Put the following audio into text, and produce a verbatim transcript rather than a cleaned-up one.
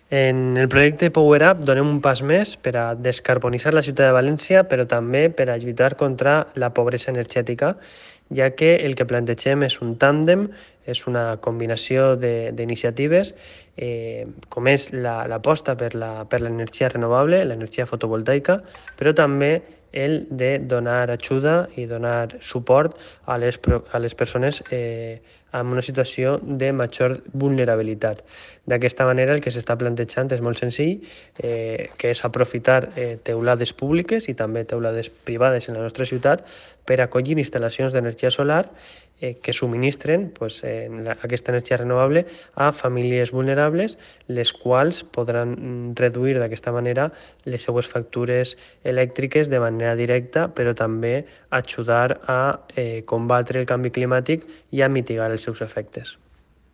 En el projecte Power Up donem un pas més per a descarbonitzar la ciutat de València, però també per a lluitar contra la pobresa energètica, ja que el que plantegem és un tàndem, és una combinació d'iniciatives, eh, com és l'aposta la, per l'energia renovable, l'energia fotovoltaica, però també el de donar ajuda i donar suport a les, a les persones eh, en una situació de major vulnerabilitat. D'aquesta manera el que s'està plantejant és molt senzill, eh, que és aprofitar eh, teulades públiques i també teulades privades en la nostra ciutat per acollir instal·lacions d'energia solar eh, que subministren pues, eh, la, aquesta energia renovable a famílies vulnerables, les quals podran reduir d'aquesta manera les seues factures elèctriques de manera directa, però també ajudar a eh, combatre el canvi climàtic i a mitigar els seus efectes.